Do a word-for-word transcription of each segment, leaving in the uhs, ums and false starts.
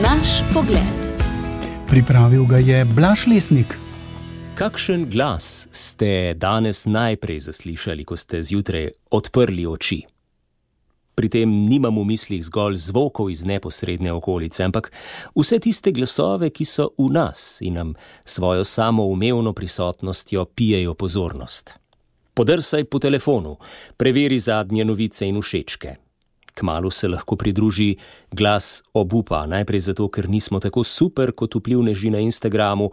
Naš pogled. Pripravil ga je Blaž Lesnik. Kakšen glas ste danes najprej zaslišali, ko ste zjutraj odprli oči? Pri tem nimam v mislih zgolj zvokov iz neposredne okolice, ampak vse tiste glasove, ki so v nas in nam svojo samoumevno prisotnostjo pijejo pozornost. Podrsaj po telefonu, preveri zadnje novice in všečke. Kmalu se lahko pridruži glas obupa, najprej zato, ker nismo tako super kot vplivneži na Instagramu,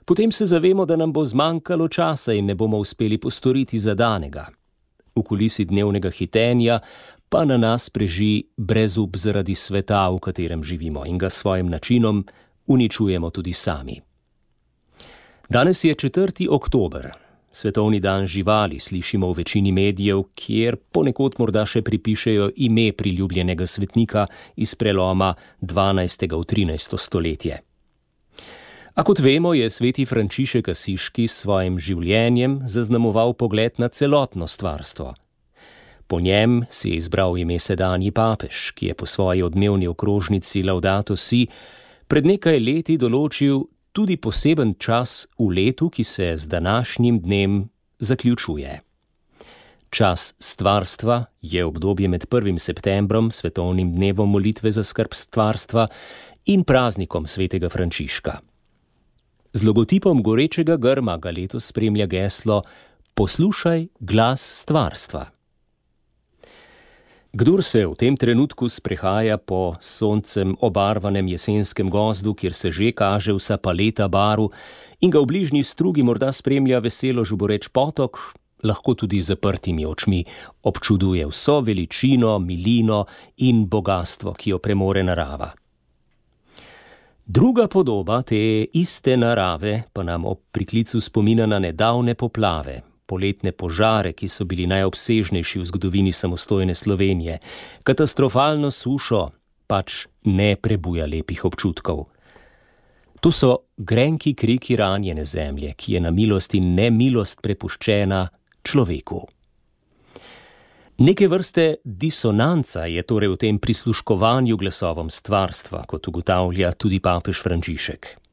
potem se zavemo, da nam bo zmanjkalo časa in ne bomo uspeli postoriti zadanega. V kulisi dnevnega hitenja pa na nas preži brezup zaradi sveta, v katerem živimo in ga s svojim načinom uničujemo tudi sami. Danes je četrti oktober. Svetovni dan živali slišimo v večini medijev, kjer ponekod morda še pripišejo ime priljubljenega svetnika iz preloma dvanajstega v trinajsto stoletje. A kot vemo, je sveti Frančišek Asiški s svojim življenjem zaznamoval pogled na celotno stvarstvo. Po njem si je izbral ime sedanji papež, ki je po svoji odmevni okrožnici Laudato Si pred nekaj leti določil tudi poseben čas v letu, ki se z današnjim dnem zaključuje. Čas stvarstva je obdobje med prvim septembrom, svetovnim dnevom molitve za skrb stvarstva, in praznikom svetega Frančiška. Z logotipom gorečega grma ga letos spremlja geslo Poslušaj glas stvarstva. Kdor se v tem trenutku sprehaja po soncem obarvanem jesenskem gozdu, kjer se že kaže vsa paleta barv in ga v bližnji strugi morda spremlja veselo žuboreč potok, lahko tudi z zaprtimi očmi občuduje vso veličino, milino in bogastvo, ki jo premore narava. Druga podoba te iste narave pa nam ob priklicu spomina na nedavne poplave, poletne požare, ki so bili najobsežnejši v zgodovini samostojne Slovenije, katastrofalno sušo, pač ne prebuja lepih občutkov. To so grenki kriki ranjene zemlje, ki je na milost in nemilost prepuščena človeku. Neke vrste disonanca je torej v tem prisluškovanju glasovom stvarstva, kot ugotavlja tudi papež Frančišek.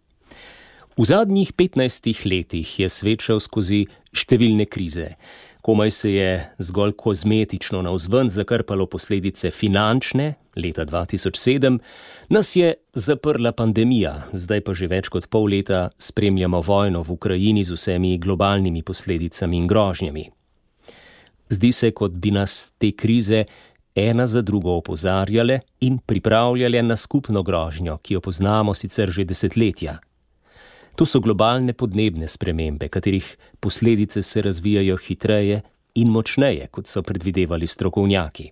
V zadnjih petnajstih letih je svet šel skozi številne krize. Komaj se je zgolj kozmetično navzven zakrpalo posledice finančne, leta dva tisoč sedem, nas je zaprla pandemija, zdaj pa že več kot pol leta spremljamo vojno v Ukrajini z vsemi globalnimi posledicami in grožnjami. Zdi se, kot bi nas te krize ena za drugo opozarjale in pripravljale na skupno grožnjo, ki jo poznamo sicer že desetletja. To so globalne podnebne spremembe, katerih posledice se razvijajo hitreje in močneje, kot so predvidevali strokovnjaki.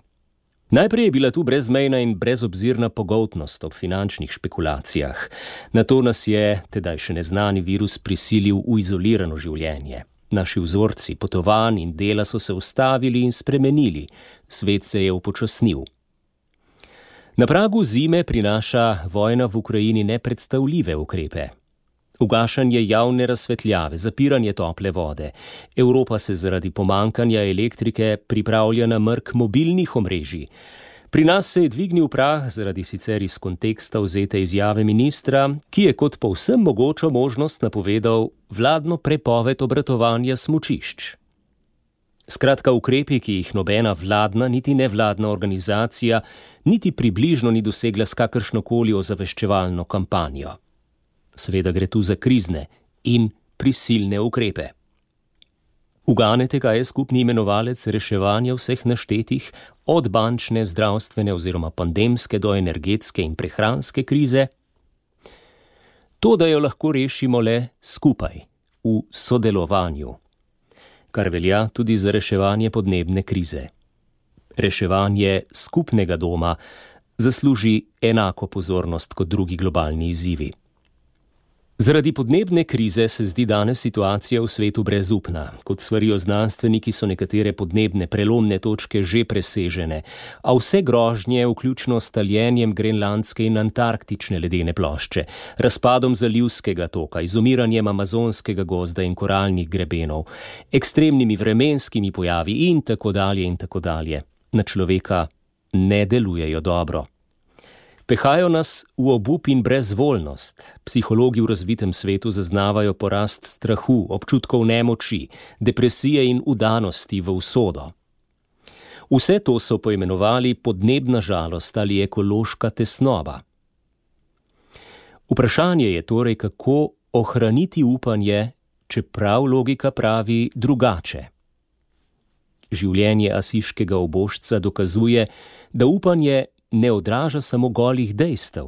Najprej je bila tu brezmejna in brezobzirna pogoltnost ob finančnih špekulacijah. Nato nas je tedaj še neznani virus prisilil v izolirano življenje. Naši vzorci potovanj in dela so se ustavili in spremenili, svet se je upočasnil. Na pragu zime prinaša vojna v Ukrajini nepredstavljive ukrepe. Ugašanje javne razsvetljave, zapiranje tople vode. Evropa se zaradi pomankanja elektrike pripravlja na mrk mobilnih omrežij. Pri nas se je dvignil prah zaradi sicer iz konteksta vzete izjave ministra, ki je kot povsem mogočo možnost napovedal vladno prepoved obratovanja smučišč. Skratka, ukrepi, ki jih nobena vladna niti nevladna organizacija niti približno ni dosegla s kakršnokoli ozaveščevalno kampanjo. Seveda gre tu za krizne in prisilne ukrepe. Uganete, kaj je skupni imenovalec reševanja vseh naštetih, od bančne, zdravstvene oziroma pandemske do energetske in prehranske krize? To, da jo lahko rešimo le skupaj, v sodelovanju, kar velja tudi za reševanje podnebne krize. Reševanje skupnega doma zasluži enako pozornost kot drugi globalni izzivi. Zaradi podnebne krize se zdi danes situacija v svetu brezupna. Kot svarijo znanstveniki, so nekatere podnebne prelomne točke že presežene, a vse grožnje, vključno s taljenjem grenlandske in antarktične ledene plošče, razpadom zalivskega toka, izumiranjem amazonskega gozda in koralnih grebenov, ekstremnimi vremenskimi pojavi in tako dalje in tako dalje, na človeka ne delujejo dobro. Pehajo nas v obup in brezvoljnost. Psihologi v razvitem svetu zaznavajo porast strahu, občutkov nemoči, depresije in udanosti v usodo. Vse to so poimenovali podnebna žalost ali ekološka tesnoba. Vprašanje je torej, kako ohraniti upanje, čeprav logika pravi drugače. Življenje asiškega ubožca dokazuje, da upanje ne odraža samo golih dejstev.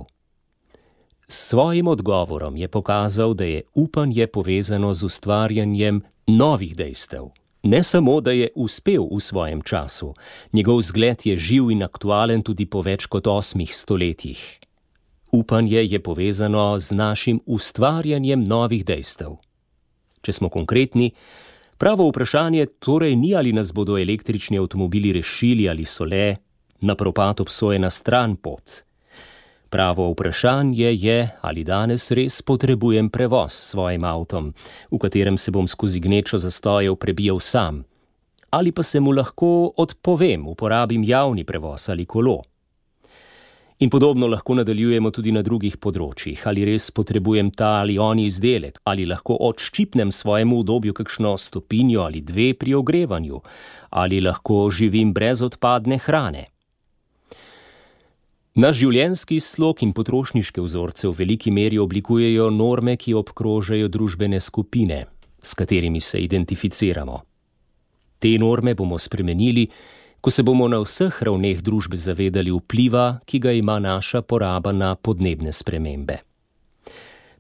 S svojim odgovorom je pokazal, da je upanje povezano z ustvarjanjem novih dejstev. Ne samo, da je uspel v svojem času, njegov zgled je živ in aktualen tudi po več kot osmih stoletjih. Upanje je povezano z našim ustvarjanjem novih dejstev. Če smo konkretni, pravo vprašanje torej ni, ali nas bodo električni avtomobili rešili ali so le na propad obsojena stran pot. Pravo vprašanje je, ali danes res potrebujem prevoz s svojim avtom, v katerem se bom skozi gnečo zastojev prebijal sam, ali pa se mu lahko odpovem, uporabim javni prevoz ali kolo. In podobno lahko nadaljujemo tudi na drugih področjih, ali res potrebujem ta ali oni izdelek, ali lahko odščipnem svojemu udobju kakšno stopinjo ali dve pri ogrevanju, ali lahko živim brez odpadne hrane. Naš življenjski slog in potrošniške vzorce v veliki meri oblikujejo norme, ki obkrožajo družbene skupine, s katerimi se identificiramo. Te norme bomo spremenili, ko se bomo na vseh ravneh družbe zavedali vpliva, ki ga ima naša poraba na podnebne spremembe.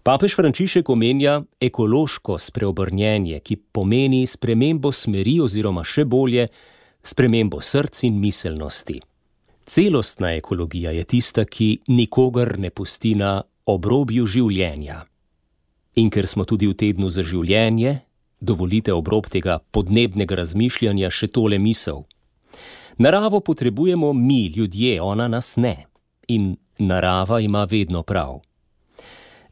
Papež Frančišek omenja ekološko spreobrnjenje, ki pomeni spremembo smeri oziroma še bolje, spremembo src in miselnosti. Celostna ekologija je tista, ki nikogar ne pusti na obrobju življenja. In ker smo tudi v tednu za življenje, dovolite ob rob tega podnebnega razmišljanja še tole misel. Naravo potrebujemo mi, ljudje, ona nas ne. In narava ima vedno prav.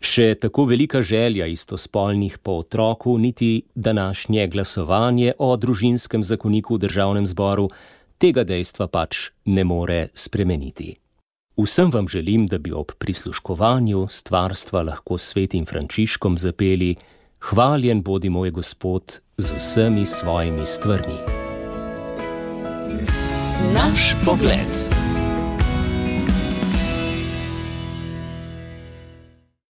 Še tako velika želja istospolnih po otroku, niti današnje glasovanje o družinskem zakoniku v Državnem zboru tega dejstva pač ne more spremeniti. Vsem vam želim, da bi ob prisluškovanju stvarstva lahko s svetim Frančiškom zapeli: Hvaljen bodi moj Gospod z vsemi svojimi stvarmi. Naš pogled.